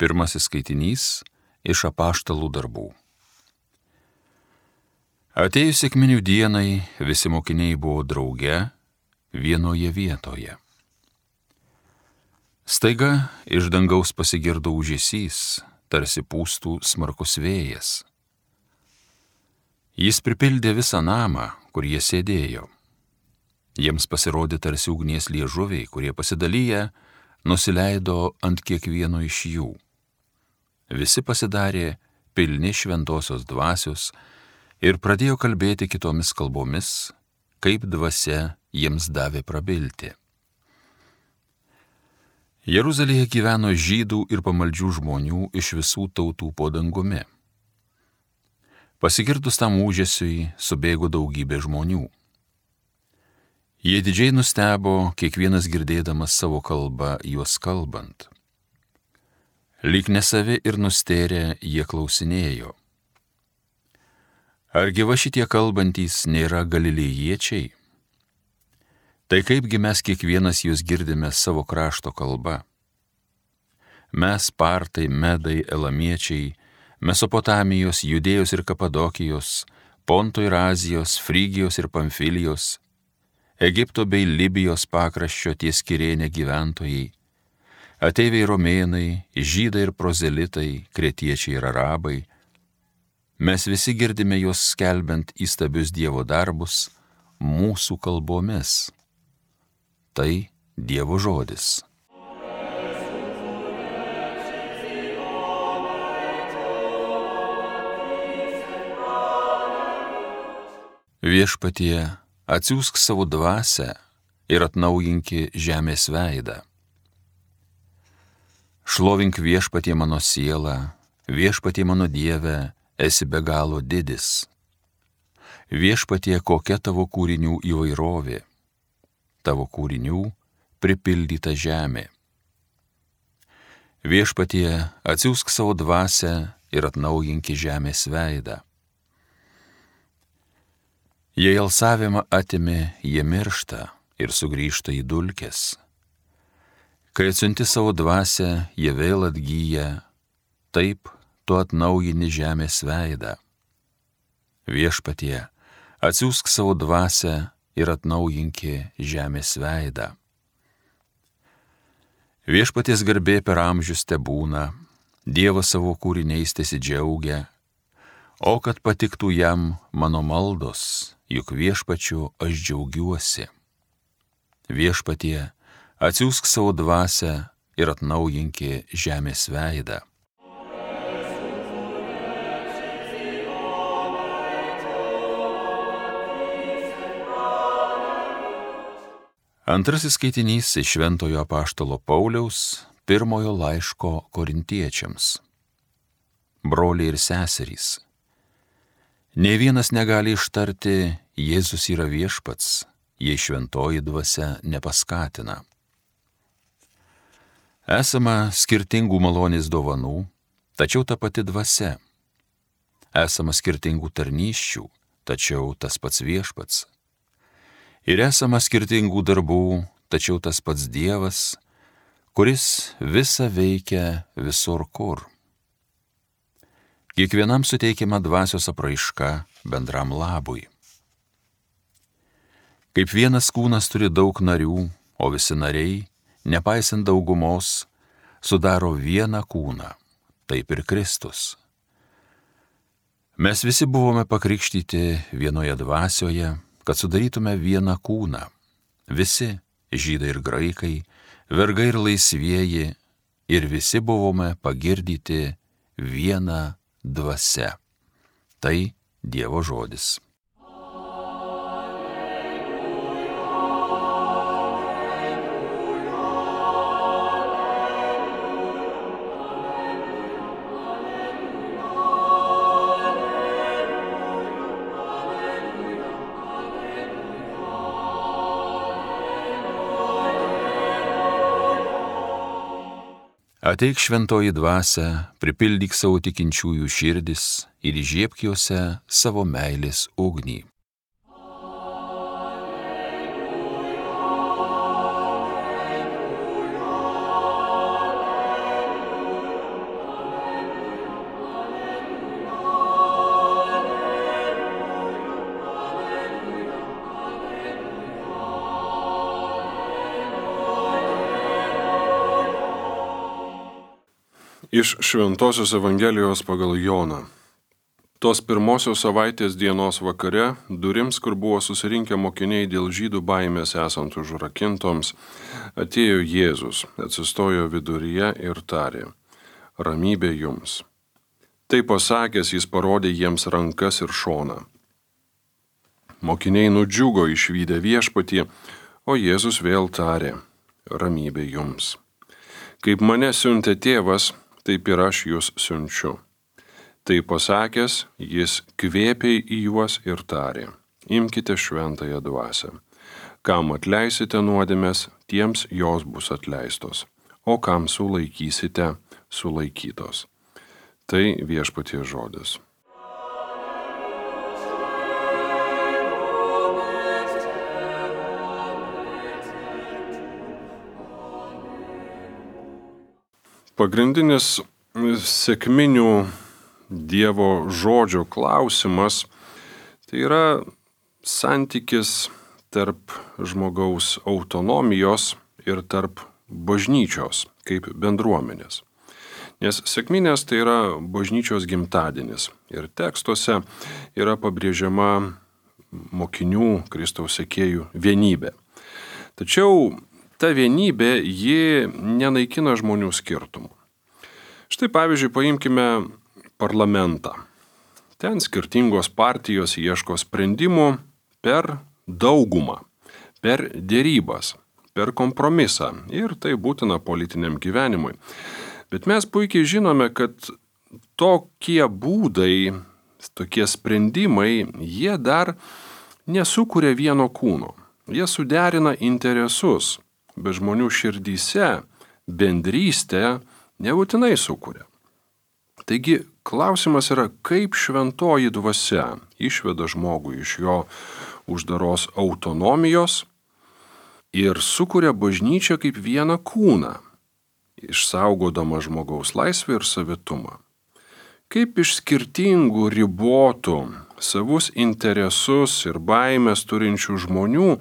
Pirmasis skaitinys iš Apaštalų darbų. Atėjus sekminių dienai, visi mokiniai buvo drauge vienoje vietoje. Staiga iš dangaus pasigirdo ūžesys, tarsi pūstų smarkus vėjas. Jis pripildė visą namą, kur jie sėdėjo. Jiems pasirodė tarsi ugnies liežuviai, kurie pasidalyję nusileido ant kiekvieno iš jų. Visi pasidarė pilni šventosios dvasios ir pradėjo kalbėti kitomis kalbomis, kaip dvasia jiems davė prabilti. Jeruzalėje gyveno žydų ir pamaldžių žmonių iš visų tautų po dangumi. Pasigirdus tam ūžesiui subėgo daugybė žmonių. Jie didžiai nustebo, kiekvienas girdėdamas savo kalbą juos kalbant. Lyg nesavi ir nustėrę jie klausinėjo. Argi va šitie kalbantys nėra galilėjiečiai? Tai kaipgi mes kiekvienas jūs girdime savo krašto kalba? Mes partai, medai, elamiečiai, Mesopotamijos, Judėjos ir Kapadokijos, Ponto ir Azijos, Frygijos ir Pamfilijos, Egipto bei Libijos pakraščio ties Kirėne gyventojai, ateiviai romėnai, žydai ir prozelitai, kretiečiai ir arabai, mes visi girdime juos skelbiant įstabius Dievo darbus mūsų kalbomis. Tai Dievo žodis. Viešpatie, atsiųsk savo dvasią ir atnaujinki žemės veidą. Šlovink viešpatie mano sielą, viešpatie mano Dieve, esi be galo didis. Viešpatie, kokia tavo kūrinių įvairovė, tavo kūrinių pripildyta žemė. Viešpatie, atsiųsk savo dvasią ir atnaujinki žemės veidą. Jei alsavimą atimi, jie miršta ir sugrįžta į dulkes. Kai atsiunti savo dvasią, jie vėl atgyja, taip tu atnaujini žemės veidą. Viešpatie, atsiųsk savo dvasią ir atnaujinki žemės veidą. Viešpaties garbė per amžius tebūna, Dievas savo kūriniais tesidžiaugia, o kad patiktų jam mano maldos, juk viešpačiu aš džiaugiuosi. Viešpatie, atsiųsk savo dvasią ir atnaujinki žemės veidą. Antrasis skaitinys iš Šventojo apaštalo Pauliaus pirmojo laiško Korintiečiams. Broliai ir seserys, nė vienas negali ištarti Jėzus yra viešpats, jei šventoji dvasia nepaskatina. Esama skirtingų malonės dovanų, tačiau ta pati dvasia. Esama skirtingų tarnysčių, tačiau tas pats viešpats. Ir esama skirtingų darbų, tačiau tas pats Dievas, kuris visa veikia visur kur. Kiekvienam suteikiama dvasios apraiška bendram labui. Kaip vienas kūnas turi daug narių, o visi nariai, nepaisant daugumos, sudaro vieną kūną, taip ir Kristus. Mes visi buvome pakrikštyti vienoje dvasioje, kad sudarytume vieną kūną. Visi, žydai ir graikai, vergai ir laisvieji, ir visi buvome pagirdyti vieną dvasia. Tai Dievo žodis. Ateik šventoji dvasia, pripildyk savo tikinčiųjų širdis ir įžiebk juose savo meilės ugnį. Iš Šventosios Evangelijos pagal Joną. Tos pirmosios savaitės dienos vakare, durims, kur buvo susirinkę mokiniai dėl žydų baimės esant užrakintoms, atėjo Jėzus, atsistojo viduryje ir tarė: Ramybė jums. Tai pasakęs, jis parodė jiems rankas ir šoną. Mokiniai nudžiugo išvydę viešpatį, o Jėzus vėl tarė: Ramybė jums. Kaip mane siuntė tėvas, taip ir aš jūs siunčiu. Tai pasakęs, jis kvėpė į juos ir tarė: Imkite šventąją dvasią. Kam atleisite nuodėmes, tiems jos bus atleistos, o kam sulaikysite, sulaikytos. Tai viešpaties žodis. Pagrindinis sekminių Dievo žodžio klausimas tai yra santykis tarp žmogaus autonomijos ir tarp bažnyčios kaip bendruomenės. Nes sekminės tai yra bažnyčios gimtadienis ir tekstuose yra pabrėžiama mokinių, Kristaus sekėjų vienybė. Tačiau ta vienybė, ji nenaikina žmonių skirtumų. Štai pavyzdžiui, paimkime parlamentą. Ten skirtingos partijos ieško sprendimų per daugumą, per dėrybas, per kompromisą ir tai būtina politiniam gyvenimui. Bet mes puikiai žinome, kad tokie būdai, tokie sprendimai, jie dar nesukuria vieno kūno. Jie suderina interesus. Bet žmonių širdyse bendrystę nebūtinai sukuria. Taigi klausimas yra, kaip šventoji dvasia išveda žmogų iš jo uždaros autonomijos ir sukuria bažnyčią kaip vieną kūną, išsaugodama žmogaus laisvę ir savitumą. Kaip iš skirtingų ribotų savus interesus ir baimės turinčių žmonių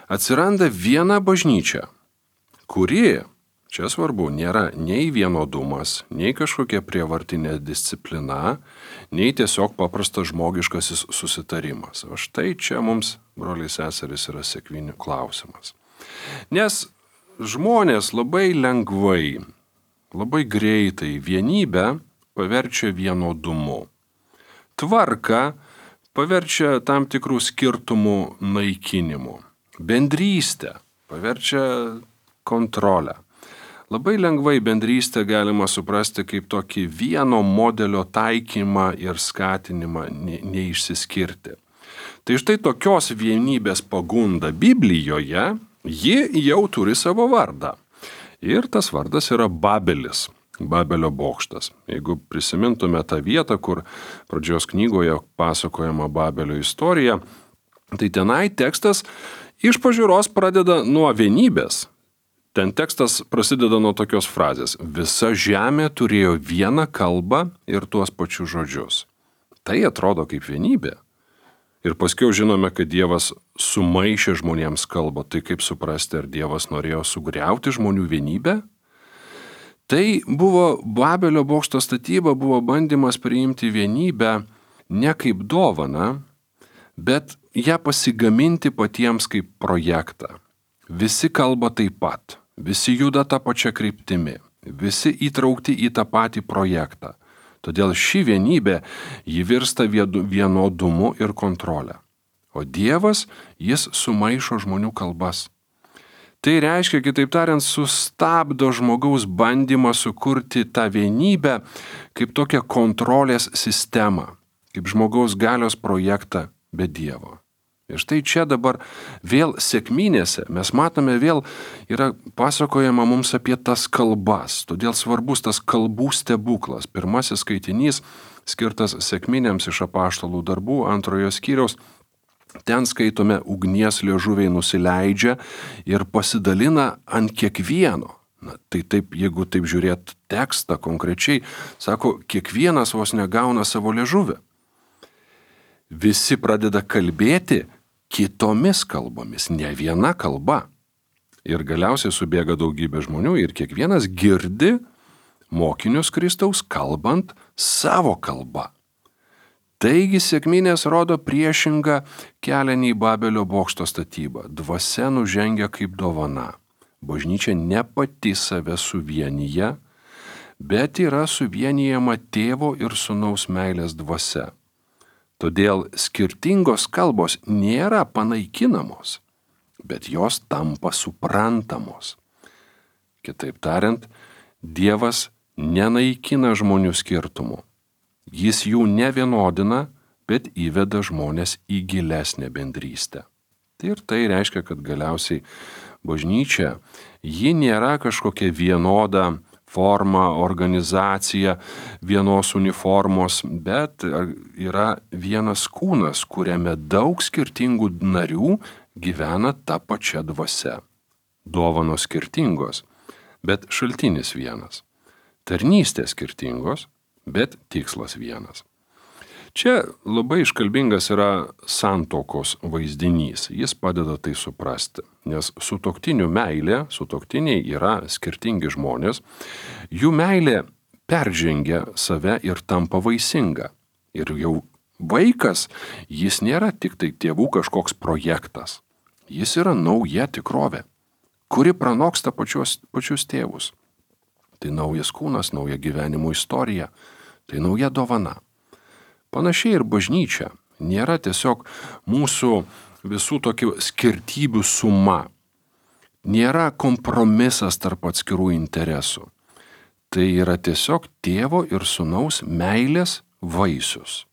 atsiranda viena bažnyčia, kuri, čia svarbu, nėra nei vienodumas, nei kažkokia prievartinė disciplina, nei tiesiog paprastas žmogiškasis susitarimas. O štai čia mums, broliai seserys, yra sekminių klausimas. Nes žmonės labai lengvai, labai greitai vienybę paverčia vienodumu. Tvarką paverčia tam tikrų skirtumų naikinimu. Bendrystę paverčia kontrolę. Labai lengvai bendrystę galima suprasti kaip tokį vieno modelio taikymą ir skatinimą neišsiskirti. Tai štai tokios vienybės pagunda Biblijoje, ji jau turi savo vardą. Ir tas vardas yra Babelis, Babelio bokštas. Jeigu prisimintume tą vietą, kur pradžios knygoje pasakojama Babelio istorija, tai tenai tekstas iš pažiūros pradeda nuo vienybės. Ten tekstas prasideda nuo tokios frazės: visa žemė turėjo vieną kalbą ir tuos pačius žodžius. Tai atrodo kaip vienybė. Ir paskiau žinome, kad Dievas sumaišė žmonėms kalbą. Tai kaip suprasti, ar Dievas norėjo sugriauti žmonių vienybę? Tai buvo Babelio bokšto statyba, buvo bandymas priimti vienybę ne kaip dovaną, bet ją pasigaminti patiems kaip projektą. Visi kalba taip pat, visi juda tą pačią kryptimį, visi įtraukti į tą patį projektą. Todėl ši vienybė, ji virsta vienodumu ir kontrolę. O Dievas, jis sumaišo žmonių kalbas. Tai reiškia, kitaip tariant, sustabdo žmogaus bandymą sukurti tą vienybę kaip tokią kontrolės sistemą, kaip žmogaus galios projektą be Dievo. Ir štai čia dabar vėl sekminėse mes matome vėl yra pasakojama mums apie tas kalbas. Todėl svarbus tas kalbų stebuklas. Pirmasis skaitinys skirtas sekminėms iš Apaštalų darbų 2 skyriaus. Ten skaitome, ugnies liežuviai nusileidžia ir pasidalina ant kiekvieno. Tai taip, jeigu taip žiūrėt tekstą konkrečiai, sako, kiekvienas vos negauna savo liežuvį. Visi pradeda kalbėti kitomis kalbomis, ne viena kalba. Ir galiausiai subėga daugybė žmonių ir kiekvienas girdi mokinius Kristaus kalbant savo kalba. Taigi sekminės rodo priešingą kelią nei Babelio bokšto statyba. Dvasia nužengia kaip dovana. Bažnyčia ne pati save suvienyje, bet yra suvienijama tėvo ir sūnaus meilės dvasia. Todėl skirtingos kalbos nėra panaikinamos, bet jos tampa suprantamos. Kitaip tariant, Dievas nenaikina žmonių skirtumų. Jis jų nevienodina, bet įveda žmonės į gilesnę bendrystę. Ir tai reiškia, kad galiausiai bažnyčia, ji nėra kažkokia vienoda forma, organizacija, vienos uniformos, bet yra vienas kūnas, kuriame daug skirtingų narių gyvena ta pačia dvasia. Dovanos skirtingos, bet šaltinis vienas. Tarnystės skirtingos, bet tikslas vienas. Čia labai iškalbingas yra santuokos vaizdinys. Jis padeda tai suprasti, nes sutuoktinių meilė, sutuoktiniai yra skirtingi žmonės, jų meilė peržengia save ir tampa vaisinga. Ir jau vaikas, jis nėra tik tai tėvų kažkoks projektas. Jis yra nauja tikrovė, kuri pranoksta pačius tėvus. Tai naujas kūnas, nauja gyvenimo istorija, tai nauja dovana. Panašiai ir bažnyčia nėra tiesiog mūsų visų tokių skirtybių suma. Nėra kompromisas tarp atskirų interesų. Tai yra tiesiog tėvo ir sūnaus meilės vaisius.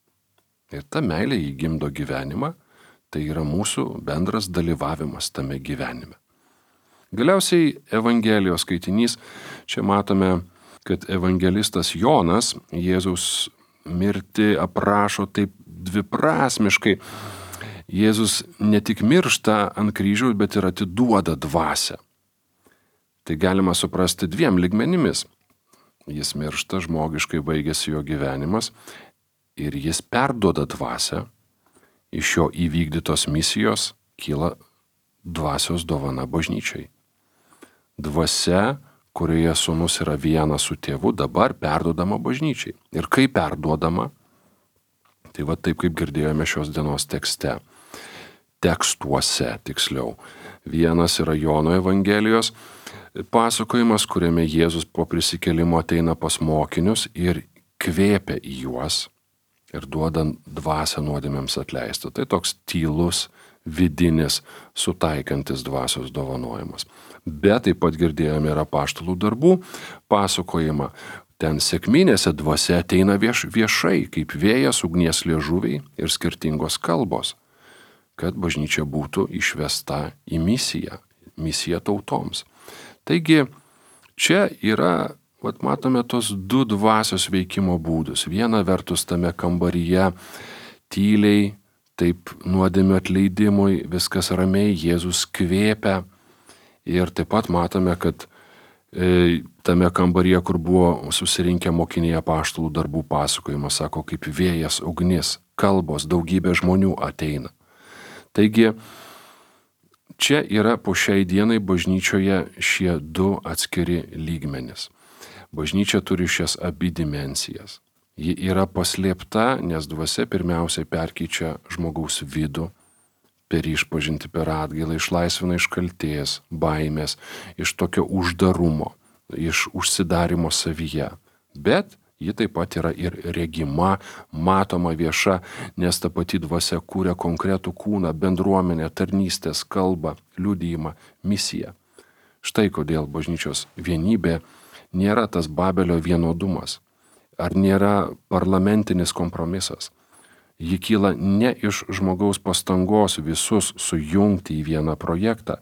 Ir ta meilė įgimdo gyvenimą, tai yra mūsų bendras dalyvavimas tame gyvenime. Galiausiai Evangelijos skaitinys, čia matome, kad evangelistas Jonas Jėzaus mirtį aprašo taip dviprasmiškai. Jėzus ne tik miršta ant kryžiaus, bet ir atiduoda dvasią. Tai galima suprasti dviem lygmenimis. Jis miršta, žmogiškai baigėsi jo gyvenimas ir jis perduoda dvasią. Iš jo įvykdytos misijos kyla dvasios dovana bažnyčiai. Dvasia, kurioje sūnus yra vienas su tėvu, dabar perduodama bažnyčiai. Ir kaip perduodama? Tai va taip, kaip girdėjome šios dienos tekste. Tekstuose, tiksliau. Vienas yra Jono Evangelijos pasakojimas, kuriame Jėzus po prisikėlimo ateina pas mokinius ir kvėpia į juos ir duoda dvasią nuodėmėms atleisti. Tai toks tylus, vidinis, sutaikantis dvasios dovanojimas. Bet taip pat girdėjome ir apaštalų darbų pasakojimą. Ten sekminėse dvasia ateina viešai, kaip vėjas, ugnies liežuviai ir skirtingos kalbos, kad bažnyčia būtų išvesta į misiją tautoms. Taigi, čia yra, matome tos du dvasios veikimo būdus. Viena vertus tame kambaryje tyliai, taip nuodėmių atleidimui, viskas ramiai, Jėzus kvėpia. Ir taip pat matome, kad tame kambaryje, kur buvo susirinkę mokiniai apaštalų darbų pasakojimas, sako, kaip vėjas, ugnis, kalbos, daugybė žmonių ateina. Taigi, čia yra po šiai dienai bažnyčioje šie du atskiri lygmenys. Bažnyčia turi šias abi dimensijas. Ji yra paslėpta, nes dvasia pirmiausiai perkeičia žmogaus vidų, per išpažinti, per atgailą, išlaisvina iš kaltės, baimės, iš tokio uždarumo, iš užsidarimo savyje. Bet ji taip pat yra ir regima, matoma, vieša, nes ta pati dvasia kūrė konkretų kūną, bendruomenę, tarnystės, kalbą, liudijimą, misiją. Štai kodėl bažnyčios vienybė nėra tas Babelio vienodumas, ar nėra parlamentinis kompromisas. Ji kyla ne iš žmogaus pastangos visus sujungti į vieną projektą,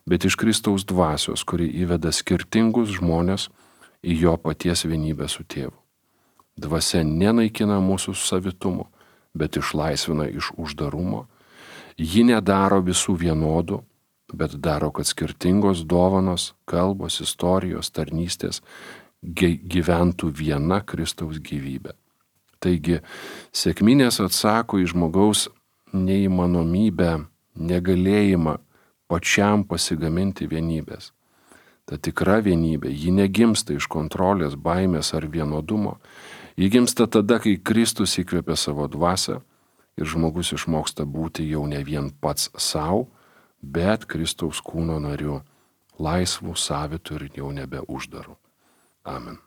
bet iš Kristaus dvasios, kuri įveda skirtingus žmonės į jo paties vienybę su tėvu. Dvasia nenaikina mūsų savitumo, bet išlaisvina iš uždarumo. Ji nedaro visų vienodų, bet daro, kad skirtingos dovanos, kalbos, istorijos, tarnystės gyventų viena Kristaus gyvybė. Taigi, sekminės atsako į žmogaus neįmanomybę, negalėjimą pačiam pasigaminti vienybės. Ta tikra vienybė, ji negimsta iš kontrolės, baimės ar vienodumo. Ji gimsta tada, kai Kristus įkvėpia savo dvasią ir žmogus išmoksta būti jau ne vien pats savo, bet Kristaus kūno nariu, laisvų, savitų ir jau nebe uždarų. Amen.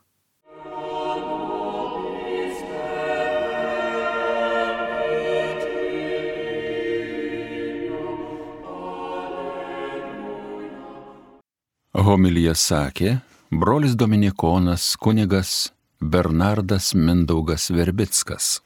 Homiliją sakė brolis dominikonas kunigas Bernardas Mindaugas Verbickas.